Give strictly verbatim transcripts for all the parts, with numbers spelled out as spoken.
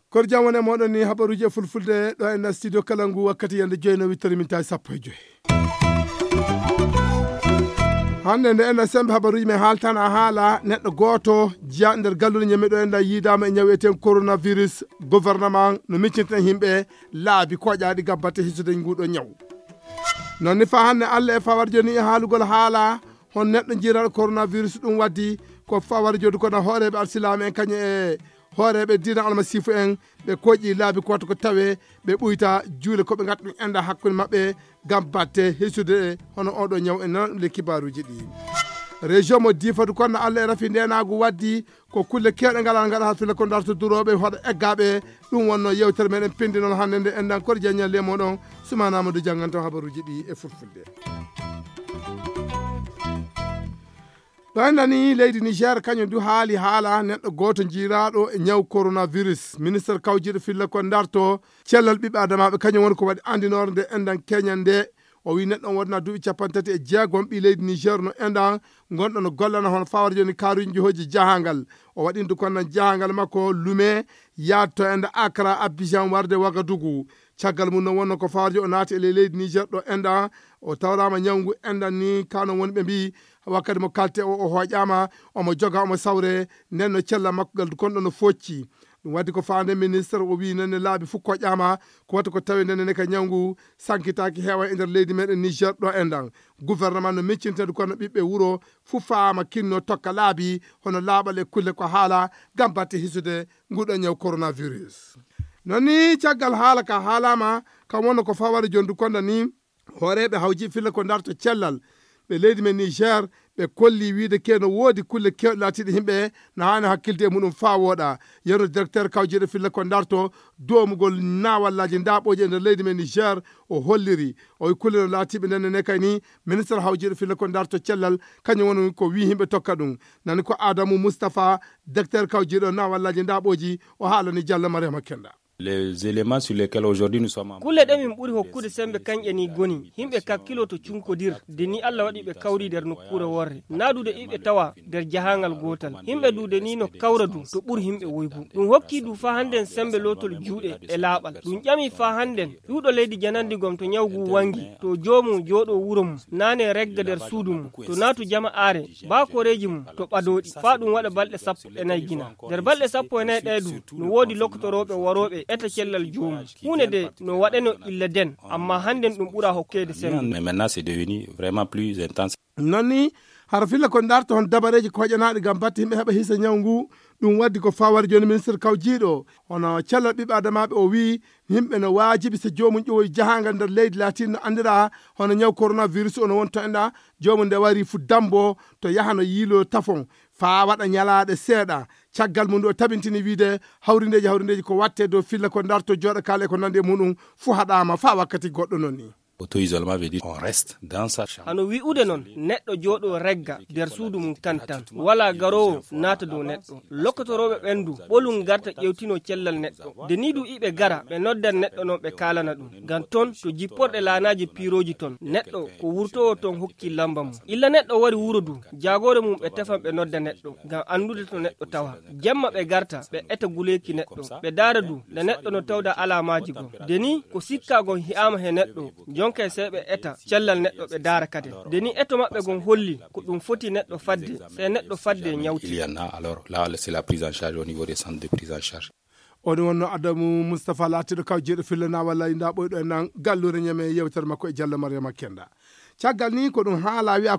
Kor jam woni e moɗon ni habaruji e fulfulde ɗo e nder studio kala ngu wakkati yande joyi no wittori min tawi sappo e joyi. Hannde nde enen sembe habaruji men haaltana haala neɗɗo gooto jeya nder galluɗe ñammi ɗo enda yiidama e ñaw eten coronavirus. Gouvernement no miccinten yimɓe laabi koƴaɗi gam batte hisude nguɗo ñaw. Non ni fa hannde allah e fawar joni e haalugol haala hon neɗɗo jiiraɗo coronavirus ɗum waddi ko fawar jodi kono hooreɓe alsilaama en kañum e hooreɓe diina almasiifu en ɓe koƴƴi laabi ko watta ko tawe ɓe ɓuyta juule ko ɓe gatta ɗum enda hakkunde maɓɓe gam batte hisude hono oɗo ñaw e nana ɗum le kibaruji ɗi. Région mo difatu kono allah e rafi ndenagu waddi ko kulle kewɗe ngalal ngaɗa ha filla ko darto durooɓe hoɗa eggaɓe. Ɗum wonno yewtere meɗen pindi noon hannde nde endan kor jañal le moɗon sumanama ndu jannganto habaruji ɗi e fulfulde. Ɗo en nani leydi niger kañum du haali haala neɗɗo gooto jiiraaɗo e ñaw coronavirus ministre kawjiiɗo filla ko darto cellal ɓiɓɓe adamaaɓe kañum woni ko waɗi anndinoore nde enɗan keñal nde. O wi neɗɗo on wonaa duuɓi capanɗe tati e jeegom ɓii leydi niger no enɗan gonɗo no gollana hono fawre jooni kaaruuji jihoji jahangal. O waɗi ndu konnan jahangal makko lume yaade to enɗan accra abidjan warde wagadugu. Caggal mum no wonno ko fawre jooni o naati e ley leydi niger ɗo enɗan o tawrama ñawngu enɗan ni kano woni ɓe mbi wakkati mo kalte o o hoƴama omo joga omo sawre nden no cella makko gal gonɗo no focci. Ɗum waddi ko faande ministre o wi nenne laabi fof koƴƴama ko wata ko tawi nenne ne ka ñawngu sankitaaki heewa e nder leydi meɗen niger ɗo enɗan. Gouvernement no miccintede kono ɓiɓɓe wuro fof faama kinno tokka laabi hono laaɓal e kulle ko haala ngam batte hisude nguɗo ñaw coronavirus. Non ni caggal haala ka haalama kam wonno ko fawade jondu konda ni hooreɓe hawji filla ko darto cellal ɓe leydi men niger ɓe kolli wiide ke no woodi kulle kewɗe laatiiɗe yimɓe no haani hakkilde e muɗum faa wooɗa. Yerno directeur kawjiiɗo filla ko darto doomugol nawallaji ndaɓooji e nder leydi men niger o holliri o wi kulle no laatiiɓe ndenne ne kay ni ministre hawjiiɗo filla ko darto cellal kañum woni ko wi yimɓe tokka ɗum. Nani ko adamu moustapha directeur kawjiiɗo nawallaji ndaɓooji o haalani diallo mariama kenda. Les éléments sur lesquels aujourd'hui nous sommes en kulle ɗe min ɓuri hokkude sembe kanƴe ni goni yimɓe kakkilo to cunkodir de ni allah waɗi ɓe kawri nder nokkuure worre nadude iɓe tawa nder jahangal gotal yimɓe dude ni no kawra du to ɓuri yimɓe woybu. Ɗum hokki du fa hannden sembe lotol juuɗe e laaɓal ɗum ƴami fa hannden ƴuuɗo leydi janandi gom to ñawgu wangi to joomum jooɗo wuro mum nane regga nder suudu mum to naatu jama are ba koreeji mum to ɓadooɗi faa ɗum waɗa balɗe sappo e nayi gina. Nder balɗe sappo e nayi ɗee du no woodi lokotorooɓe warooɓe eta cellal joomum huunde de no waɗeno illa den amma hannden ɗum ɓura hokkeede sembe. Mais maintenant c'est devenu vraiment plus intense. Non ni hara filla ko darta hon dabareeji koƴanaaɗi ngam batte yimɓe heɓa hisa ñaw ngu. Ɗum waddi ko fawar jooni ministre kawjiiɗo hono cellal ɓiɓɓe adamaaɓe o wii yimɓe no waajibi so joomum ƴowoyi jahaangal nder leydi laatiiɗo no anndiraa hono ñaw coronavirus o no woni to enɗa joomum nde wari fu dambo to yahano yiilo tafon faa waɗa ñalaaɗe seeɗa. Caggal mum ndu o tabintini wiide hawrindeeji hawrindeeji ko watte dow filla ko darto jooɗa kaala e ko nandi e muɗum fu haɗaama faa wakkati goɗɗo non ni. Auto-isolement veut dire on reste dans sa chambre. Hano wi'ude non neɗɗo jooɗo regga nder suudu mum tan tan wala garoowo naata dow neɗɗo. Lokkotorooɓe ɓen du ɓolum garta ƴewtino cellal neɗɗo de ni du iɓe gara ɓe noddan neɗɗo non ɓe kaalana ɗum ngam ton to jipporɗe laanaaji piirooji ton neɗɗo ko wurtowo ton hokki lamba mum. Illa neɗɗo wari wuro du jaagoore mum ɓe tefan ɓe nodda neɗɗo ngam anndude to neɗɗo tawa. Jemma ɓe garta ɓe eta guleeki neɗɗo ɓe daara du nde neɗɗo no tawda alaamaaji goo de ni ko sikkaa gon hi'aama he neɗɗo. Jonka e sey ɓe eta cellal neɗɗo ɓe daara kaden de ni eto maɓɓe gon holli ko ɗum foti neɗɗo fadde sey neɗɗo fadde ñawti. Il y en a alors là c'est la prise en charge au niveau des centres de prise en charge. O ɗum wonno adamu moustapha laatiiɗo kaw jeeɗo fillana walla inda ɓoyɗo en nan galluure ñame yewtere makko e diallo mariama kenda. Caggal ni ko ɗum haala wiya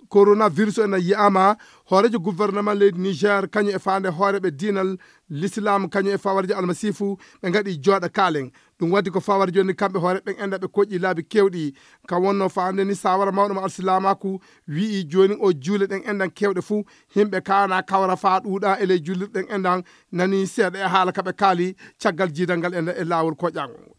coronavirus ena yiyama hoorejo gouvernement leydi niger kañum e faande hooreɓe diinal l'islam kañum e fawarjo almasifu ɓe gaɗi jooɗa kaalen. Ɗum waddi ko fawar joni kamɓe hoore ɓen enda ɓe koƴƴi laabi kewɗi. Ka wonno faande ni sawara mawɗo mo alsilaamaku wi'i joni o juule ɗen endan kewɗe fuu. Himɓe kana kawra faa ɗuuɗa e ley jullirɗen endan nani seeɗa e haala kaɓe kaali. Caggal jiidal ngal enda e laawol koƴaangol ngol.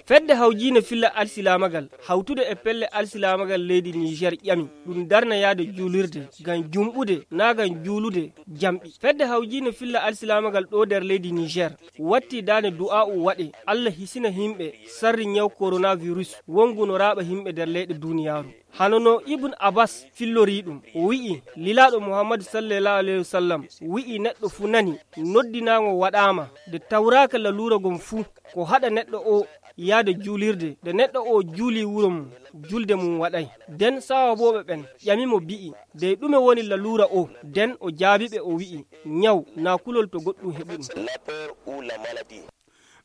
Fedde hawjiinde filla alsilaamagal hawtude e pelle alsilaamagal leydi Niger ƴami ɗum darnayaade juulirde ngam jumɓude naa ngam juulude jamɗi. Fedde hawjiinde filla alsilaamagal ɗo nder leydi Niger watti daane du'aa'u waɗe Allah hisina yimɓe sarri ñaw coronavirus wonngu no raaɓa yimɓe nder leyɗe duniyaaru. Hano no Ibn Abbas fillori ɗum, o wi'i, Lilaaɗo Muhammadu sallallahu alayhi wa sallam wi'i, neɗɗo fuu nani noddinaango waɗaama nde tawraaka laluura ngon fuu, ko haɗa neɗɗo o yaade juulirde. Nde neɗɗo o juuli wuro mum, julde mum waɗay. Nden saawabooɓe ɓen ƴami mo bi'i, dey ɗume woni laluura o? Nden o jaabi ɓe o wi'i, ñaw naa kulol to goɗɗum heɓu ɗum.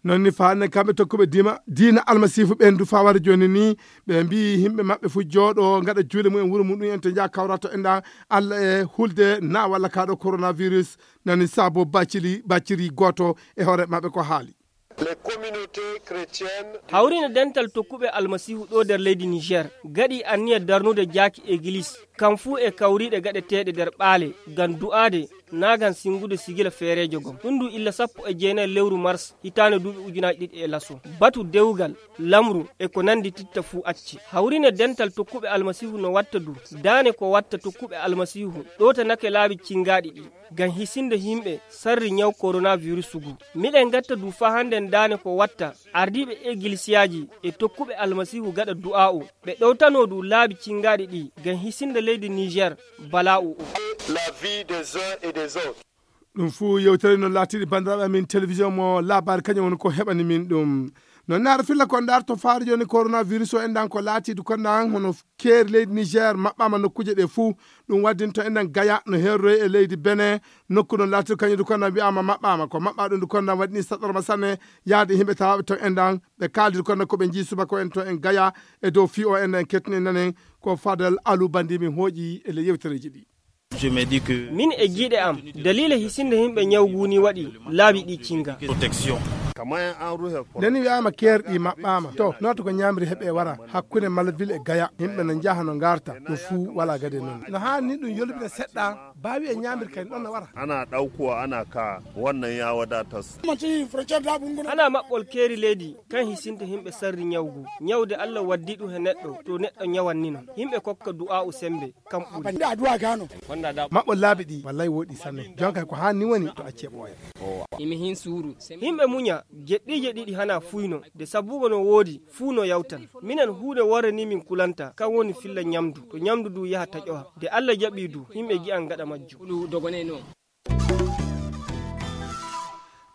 Non ni faanne kamɓe tokkuɓe dima diina almasiifu ɓen du fawara jooni ni, ɓe mbi'i yimɓe maɓɓe fuu jooɗo ngaɗa juuɗe mumen wuro muɗum en to njaha kawrato enɗan Allah e hulde na walla kaɗo coronavirus. Nani saabo bacciri bacciri gooto e hoore maɓɓe ko haali. Hawriine dental tokkuɓe almasiihu ɗo nder leydi Niger gaɗi anniya darnude jaaki egilis kam fuu e kawriiɗe gaɗeteeɗe nder ɓaale ngam du'aade naa ngam singude sigila feereejo gom. Ɗum ndu illa sappo e jeenayi lewru mars hitaande duuɓi ujunaaji ɗiɗi e laso. Batu dewgal, lamru e ko nanndi titta fuu acci. Hawriine dental tokkuɓe almasiihu no watta du daane ko watta tokkuɓe almasiihu ɗowtanake laabi cingaaɗi ɗi ngam hisinde yimɓe sarri ñaw coronavirus ngu. Miɗen ngatta du faa hannden daane ko watta ardiiɓe egilsiyaaji e tokkuɓe almasiihu gaɗa du'aa'u. Ɓe ɗowtanoo du laabi cingaaɗi ɗi ngam hisinde leydi Niger balaa'u o. Ɗum fuu yewtere no laatiɗi banndiraaɓe amin télévision mo laabaari kañum woni ko heɓani min ɗum. No naara filla ko ndaar to faari jooni coronavirus o enɗan ko laatiidu ko naan hono keeri leydi Niger maɓɓaama nokkuuje ɗe fuu. Ɗum waddinto enɗan Gaya no heeroyi e leydi Benin, nokku no laatiidu kañum du ko naan wi'aama maɓɓaama ko maɓɓaa ɗum du ko naan waɗini saɗarma sanne yaade yimɓe tawaaɓe ton enɗan. Ɓe kaaldi ko naan ko ɓe njii subaka en to en Gaya e dow fii o enɗan kettini nanen ko Fadal Alu Bandi min hooƴi e ley yewtereeji ɗi. Min e giiɗe am daliila hisinde yimɓe ñaw ngu ni waɗi laabi ɗi cinga. Nde ni wi'aama keerɗi maɓɓaama to noota ko ñaamri heɓe wara hakkunde Malville e Gaya yimɓe no njaha no ngarta ɗum fuu wala gade noon. No haani ɗum yolbina seɗɗa baawi e ñaamri kay ɗon no wara. Ana ɗaukuwa ana ka wannan ya wadatas. Ana maɓɓol keeri leydi kan hisinde yimɓe sarri ñaw ngu ñawde Allah waddi ɗum he neɗɗo to neɗɗo ñawannino yimɓe kokka du'aa'u sembe. Kam ɓuri. Maɓɓo laabi ɗi wallay woɗi sanne jonka ko hanni woni to acce ɓooya. Yimɓe muña jeɗɗiije ɗiɗi hana fuyno de sabbugo no woodi fuu no yawtan. Minen huunde worre ni min kulanta kan woni filla ñamdu to ñamdu du yaha taƴowa de Allah jaɓi du yimɓe gi'an gaɗa majjum.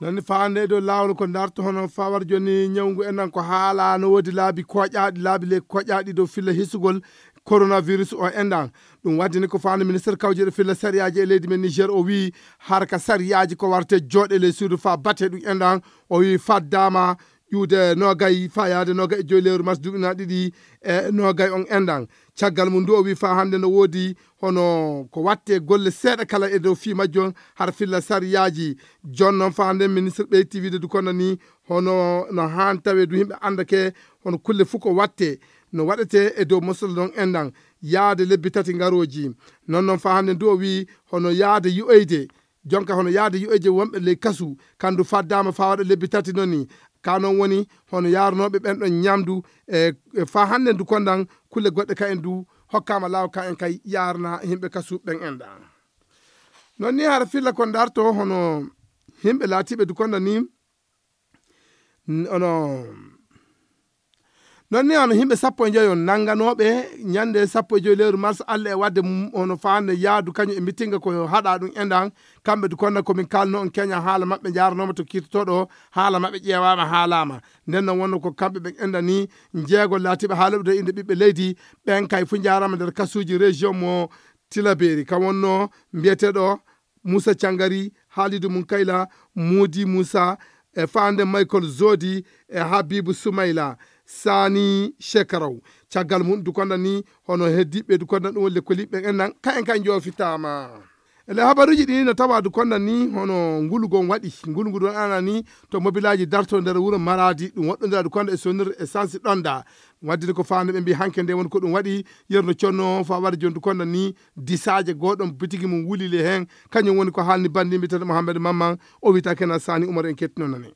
Nani faande e dow laawol ko ndarto hono fawar joni ñawngu en nan ko haala no woodi laabi koƴaaɗi laabi le koƴaaɗi dow filla hisugol coronavirus o enɗan. Ɗum waddini ko faande ministre kawjeɗo filla sariyaaji e leydi men Niger o wii harka sariyaaji ko warte jooɗe ley suudu faa bate ɗum enɗan. O wii faddaama ƴuude nogay faa yaade nogay e joyi lewru mars duuɓi na ɗiɗi e nogay on enɗan. Caggal mum ndu o wii faa hannde no woodi hono ko watte golle seeɗa kala e dow fii majjum hara filla sariyaaji. Jooni noon faa hannde ministre ɓeyti wiide du kono ni hono no haan tawe du yimɓe anndake hono kulle fof ko watte no waɗete e dow mosol ɗon enɗan yaade lebbi tati ngarooji. Noon noon faa hannde ndu o wii hono yaade yo'oyde jonka hono yaade yo'oyde wonɓe ley kasu kandu faddaama faa waɗa lebbi tati noon ni. Ka noon woni hono yaarnooɓe ɓen ɗon ñamdu e faa hannde ndu kondan kulle goɗɗe ka en du hokkaama laaw ka en kay yaarna yimɓe kasu ɓen enɗan. Noon ni hara filla ko ndarto hono yimɓe laatiiɓe du kondan ni ono noon ni hono yimɓe sappo e njoyo nannganooɓe ñannde sappo e joyi lewru mars Allah e waɗde hono faande yaadu kañum e mitinga ko haɗa ɗum enɗan. Kamɓe du konda komin kaalno on keña haala maɓɓe njaaranooma to kiirtotooɗo haala maɓɓe ƴeewaama haalaama. Nden noon wonno ko kamɓe ɓen enɗan ni jeego laatiiɓe haaloɓe dow innde ɓiɓɓe leydi ɓen kay fof njaaraama nder kasuuji région mo Tilaberi ka wonno mbiyeteeɗo Moussa Cangari, Halidou Munkayla, Moudi Moussa, e faande Michael Zodi e Habibou Soumaila, Sani Shekaraw. Caggal mum du konda ni hono heddiɓe du konda ɗum lekkoliɓe en nan ka en kay joofitaama. E le habaruji ɗi no tawa du konda ni hono ngulugol waɗi ngulugol ɗon ana ni to mobilaji darto nder wuro Maradi ɗum woɗɗondira du konda e sonir e sansi ɗonda. Waddini ko faande ɓe mbi hanke nde woni ko ɗum waɗi yerno conno fa waɗa joni du konda ni disaaje goɗon bitigi mum wulile hen. Kañum woni ko haalni bandi mbiteɗo Mouhamed Mamman o wiyta kena Sani Oumar en kettino nane.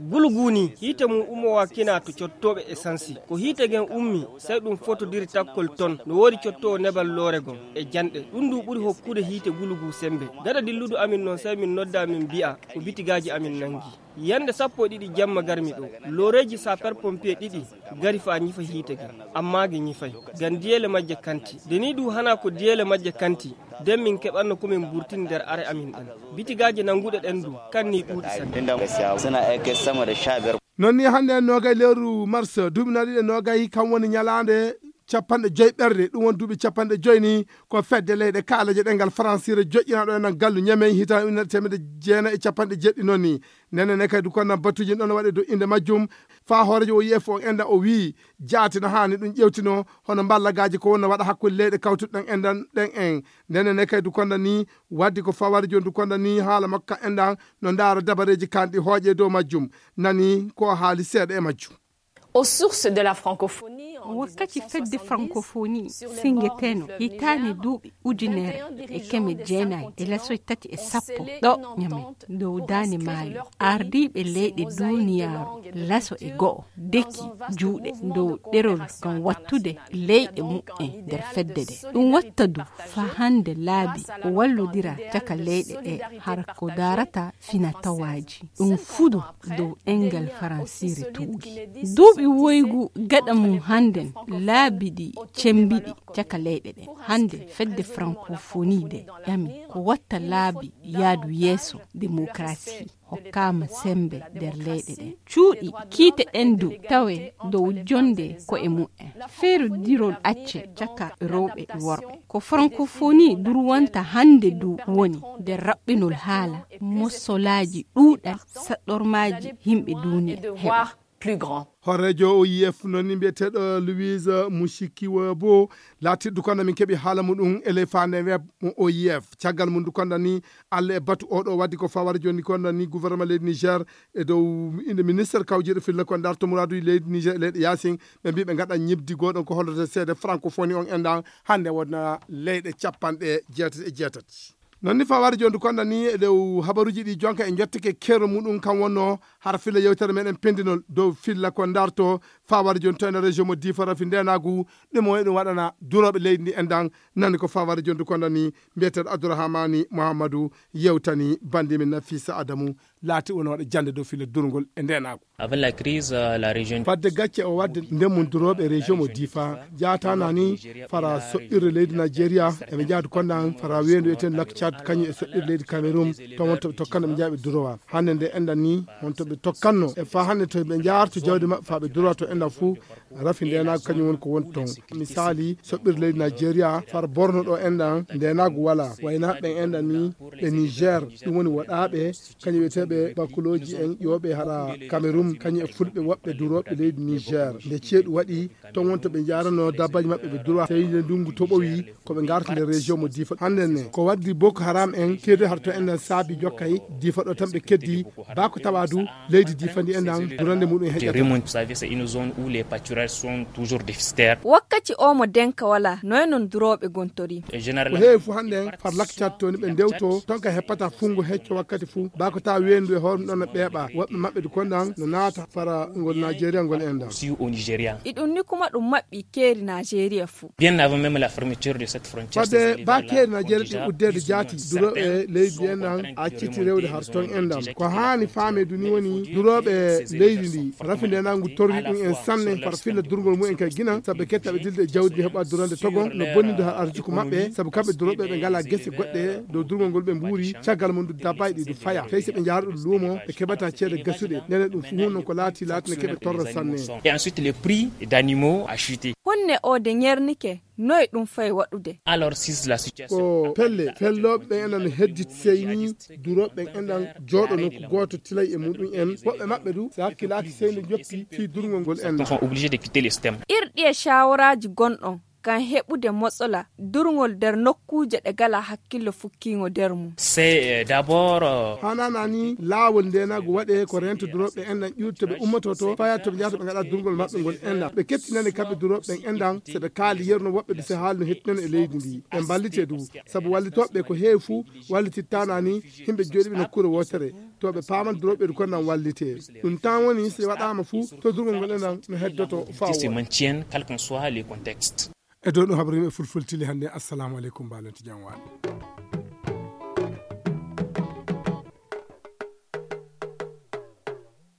Gulu guu nii, hiite mum ummowaa kinaa to cottooɓe esansi. Ko hiite gen ummi, sey ɗum fotodiri takkol ton. No woodi cottoowo nebal loore gon e janɗe. Ɗum duu ɓuri hokkude hiite gulu guu sembe. Gada dilludu amin non, sey min nodda, min bi'a ko bitigaaji amin nangi. Yande sappo e ɗiɗi jamma garmi ɗoo, looreeji saper pompier ɗiɗi gari faa ñifa hiite gen, ammaa gi ñifay, ngam diyeele majje kanti. De nii duu hanaa ko diyeele majje kanti, den min keɓanno ko min burtini nder are amin ɗen. Bitigaaji nanguɗe ɗen duu, kannii ɗuuɗi sanne. Non nii hande noogay lewru mars, duuɓi nayi ɗiɗi e noogay, kan woni ñalaande capanɗe joy ɓerde, ɗum woni duuɓi capanɗe joy ni ko fedde leyɗe kaalaje ɗengal Faransiire joƴƴinaaɗo e nan gallu Ñamey hitaande ujunere teemedde jeenayi e capanɗe jeeɗiɗi non ni. Nene ne kay du konnan batuuji ɗon waɗe dow innde majjum. Faa hooreejo O I F on enda o wi'i jaati no haani ɗum ƴewtino hono mballagaaji ko wonno waɗa hakkunde leyɗe kawtuɗe ɗen endan ɗen en. Nene ne kay du konnan ni waddi ko fawari jon du konnan ni haala makko endan no ndaara dabareeji kanɗi hooƴe dow majjum. Nani ko o haali seeɗa e majjum. Aux sources de la francophonie, en wakkati fedde francophonie singeteno hitaani duuɓi ujunere e keme jeenayi e lasoy tati e sappo ɗo Ñamey dow daande maayo, ardiiɓe leyɗe duuniyaaru laso e go'o deki juuɗe dow ɗerol ngam wattude leyɗe mu'en nder fedde nde. Ɗum watta du faa hannde laabi o wallodira caka leyɗe ɗe hara ko daarata finatawaaji. Ɗum fudu dow ɗengal faransiire tuugi. Duuɓi woygu gaɗa mum hannden laabi ɗi cembiɗi caka leyɗe ɗen. Hannde fedde francophonie nde ƴami ko watta laabi yaadu yeeso, demokrasi hokkaama sembe nder leyɗe ɗen. Cuuɗi kiite ɗen du tawe dow jonde ko'e mu'en. Feerodirol acce caka rewɓe e worɓe. Ko francophonie durwanta hannde du woni nder raɓɓinol haala, mossolaaji ɗuuɗal, saɗɗormaaji yimɓe duuniya heɓa. Hooreejo O I F non ni mbiyeteeɗo Louise Mushikiwabo laatirdu kono min keɓi haala muɗum e ley faande web mo O I F. Caggal mum du konda ni Allah e batu oɗo waddi ko fawara joni konda ni gouvernement leydi Niger e dow inde ministre kawjeeɗo filla ko darto muraaduji leydi Niger e leyɗe yaasin ɓe mbi ɓe ngaɗa ñibdi goɗon ko holloto seede francophonie on endan hannde wona leyɗe capanɗe jeetati e jeetati. Non ni fawara joni du konda ni e dow habaruji ɗi jonka e jottake kero muɗum kan wonno hara filla yewtere meɗen pendinol dow filla ko darto fawara joni to ene région mo Difa rafi ndenagu ɗum o eɗum waɗana durooɓe leydi ndi endan nani ko fawara joni du konda ni mbiyeteeɗo Abdourahamani Mouhamadou yewtani bandi min Nafisa Adamu laati wona waɗa jannde dow filla durngol e ndenagu. Avant la crise, euh, la région fadde gacce o wadde ndemum durooɓe région mo Difa jaatana ni fara soɓɓirde leydi Nigeria eɓe jaadu konnan fara weendu eten lac Tchad kañum e soɓɓirde leydi Cameroun to wonto ɓe tokkana ɓe jaaɓe durowa hannde nde enɗan ni wonto ɓe tokkanno e fa hannde to ɓe jaarto jawdi maɓɓe fa ɓe durowa to enɗan fuu rafi ndenagu kañum woni ko woni toon. Misali soɓɓirde leydi Nigeria fara borno ɗo enɗan ndenagu wala waynaɓe ɓen enɗan ni ɓe Niger ɗum woni woɗaɓe kañum wiyeteeɓe bakulooji en ƴooɓe hara Cameroun kañum e fulɓe woɓɓe durooɓe leydi Niger nde ceeɗu waɗi ton wonto ɓe njaarano dabbaji maɓɓe ɓe durowa tawi nde ndungu toɓowi ko ɓe ngarta nder région mo Difa hannde ne ko waddi Boko Haram en kedde har to enɗan saabi jokkay Difa ɗo tan ɓe keddi bako tawa du leydi Difa ndi enɗan durande muɗum e heƴata. Vous savez, c'est une zone où les pâturages sont toujours déficitaires. Wakkati o mo denka wala noy non durooɓe gontori. Ko heewi fof hannde en far lakcat to ni ɓe ndewto ton ka heppata fungo hecco wakkati fuu bako tawa weendu e hoore ɗon no ɓeeɓa woɓɓe maɓɓe du konɗan no naata fara ngol Nigeria ngol enɗan. Aussi au Nigeria. Iɗum ni kuma ɗum maɓɓi keeri Nigeria fuu. Bien avant même la fermeture de cette frontière, fadde ba keeri Nigeria ɗi uddeede jaati durooɓe leydi enɗan acciti rewde har ton enɗan ko haani faame du ni woni durooɓe leydi ndi rafi ndenangu torri ɗum en sanne far filla durgol mumen kay ginan sabu ɓe kettaɓe dilde e jawdi ndi heɓa durande togon no bonnido har arjuku maɓɓe sabu kamɓe durooɓe ɓe ngala gese goɗɗe dow durgol ngol ɓe mbuuri caggal mum du dabbaji ɗi du faya tawi so ɓe njaara ɗum luumo ɓe keɓata ceede gasuɗe nene ɗum fuu non ko laati laati ne keɓe torra sanne. Et ensuite les prix d'animaux a chuté. Honne o de ñernike noy ɗum fay waɗude. Alors si la situation ko pelle fellooɓe ɓen enɗan no hedditi seyni durooɓe ɓen enɗan jooɗo nokku gooto tilay e muɗum en woɓɓe maɓɓe du so hakkilaaki seyni joppi fii durgol ngol enɗan sont obligés de quitter le système. Irɗi e shawaraaji gonɗon ngam heɓude motsola durngol nder nokkuuje ɗe ngalaa hakkillo fukkiingo nder mum. Hananani laawol ndenaagu waɗee ko rento durooɓe enɗan ƴuurto ɓe ummototo faya to ɓe njahata ɓe ngaɗa durngol maɓɓe ngol enɗan ɓe kettinani kamɓe durooɓe ɓen enɗan so ɓe kaali yerno woɓɓe ɓe se haali no hettinani e leydi ndi ɓe mballite du. Sabu wallitooɓe ko heewi fuu wallitittanani himɓe jooɗiɓe nokkuure wootere to ɓe paaman durooɓe du konnan wallite. Ɗum tan woni si waɗaama fuu to durngol ngol enɗan no heddoto faawo. E dow ɗum habrimi e fulfultili hannde assalamu aleykum mbalentu jam waɗi.